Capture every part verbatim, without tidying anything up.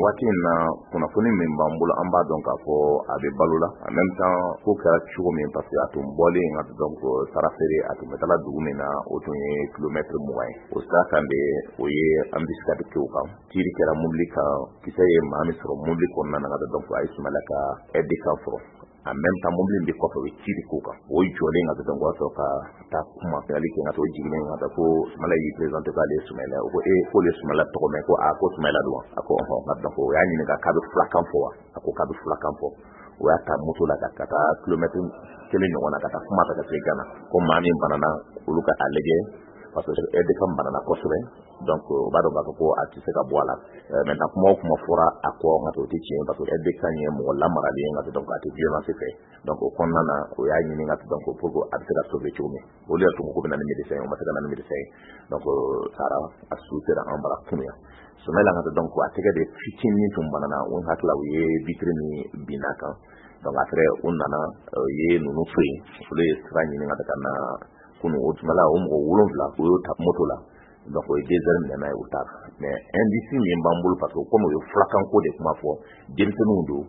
Waati in na, kunnafoni min b'an bolo, an b'a dɔn k'a fɔ a bɛ balo la. En même temps, ko kɛra cogo min, parce que a tun bɔlen ka donc sara feere, a tun bɛ taa dugu min na, o tun ye kilomètre mugan ye. O sira kan de, o ye embuscade kɛ o kan, tir kɛra mobili kan, kisɛ ye maa min sɔrɔ mobili kɔnɔna na ka donc a ye Sumala ka aide de camp sɔrɔ. En même temps, mobili min bɛ kɔfɛ, o ye tir k'o kan, o jɔlen ka donc o y'a sɔrɔ ka taa kuma ali kɛ ka to jiginnen ka taa ko Sumala y'i présenté k'ale ye Sumayila. O ko ee, k'olu ye Sumala tɔgɔ mɛn, ko aa, ko Sumayila don wa? A ko ɔhɔn. Ka donc o y'a ɲininka k'a bɛ fulakan fɔ wa? A ko k'a bɛ fulakan fɔ. O y'a ta moto la ka taa kilomètre kelen ɲɔgɔn na, ka taa kuma fɛ ka se Gana ko maa min banana, olu ka a lajɛ, parce que aide de camp banana kosɛbɛ. Donc o b'a dɔn k'a fɔ ko a tɛ se ka bɔ a la. Maintenant, kuma o kuma fɔra a kɔ nka o tɛ tiɲɛ, parce que aide de camp ye mɔgɔ lamaralen ye nka donc a tɛ violence fɛ. Donc o kɔnɔna na, o y'a ɲini ka donc pour que a bɛ se ka sauver cogo min, olu yɛrɛ tun ko ko bɛ na ni médecin ye, o ma se ka na ni médecin ye. Donc sara a su sera an bara kunun yan. Sumayila ka donc a tɛgɛ de fitinin tun banana, o hakili la u ye vitre min binna kan. Donc après, u nana u ye ninnu to yen, olu ye sira ɲini ka ka na kunun. O tuma la, o mɔgɔ wolonwula, u y'o ta moto la. Donc o ye deux heures minɛ n'a ye, u taara. Mais indice min b'an bolo, parce que komi u ye fulakanko de kuma fɔ, denmisɛnninw don,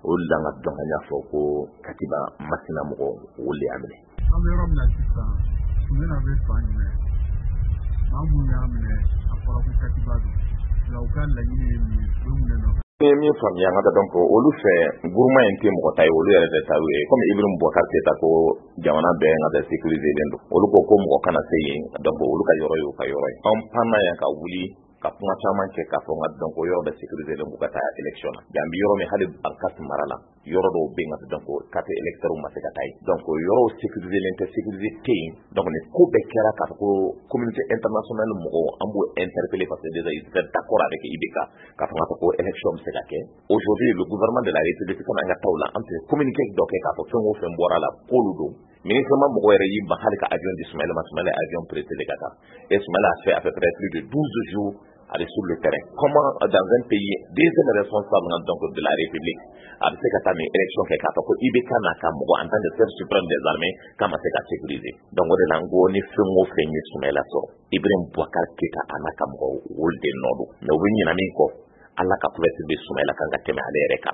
o de la an ka dɔn an y'a fɔ ko Katiba Masina mɔgɔw, olu de y'a minɛ. An bɛ yɔrɔ min na sisan, Sumala bɛ fan jumɛn? Maa minnu y'a minɛ, a fɔra ko Katiba don, nka u ka laɲini ye min ye, u bɛ mun de nɔfɛ? N ye min faamuya n ka donc olu fɛ, groupement in tɛ mɔgɔ ta ye, olu yɛrɛ de ta ye. Komi Ibrahim Boubacar Keita ko jamana bɛɛ n ka tɛ sécurisé len don, olu ko ko mɔgɔ kana se yen. Donc olu ka yɔrɔ ye u ka yɔrɔ ye. An panna yan ka wuli ka kuma caman kɛ k'a fɔ n ka donc yɔrɔ bɛɛ sécurisé len, k'u ka taa élection na. Bi, an bɛ yɔrɔ min, hali Bankass mara la, yɔrɔ dɔw bɛ yen ka donc carte électeur ma se ka taa yen. Donc yɔrɔw sécurisé len tɛ, sécurisé tɛ yen. Donc nin ko bɛɛ kɛra k'a fɔ ko communauté internationale mɔgɔw, an b'o interpeller, parce que déjà ils étaient d'accord avec I B K k'a fɔ k'a fɔ ko élection bɛ se ka kɛ. Aujourd'hui, le gouvernement de la République, comme an ka taa o la, an tun ye communiqué dɔ kɛ k'a fɔ fɛn o fɛn bɔra la, k'olu don. Ministre ma mɔgɔ yɛrɛ y'i ban hali ka avion di Sumayila ma. Sumayila ye avion prêté ka taa, et Sumayila a fait à peu près plus de douze jours aller sur le terrain. Comment, dans un pays, deuxième responsable donc de la République, a bɛ se ka taa nin élection kɛ k'a fɔ ko I B K n'a ka mɔgɔ, en tant que chef suprême des armées, k'a ma se ka sécuriser? Donc o de la n ko ni fɛn o fɛn ye Sumayila sɔrɔ, Ibrahim Boubacar Keita a n'a ka mɔgɔw, olu de nɔ don. Mais u bɛ ɲinɛ min kɔ, Ala ka couverture bɛ Sumayila kan ka tɛmɛ ale yɛrɛ kan.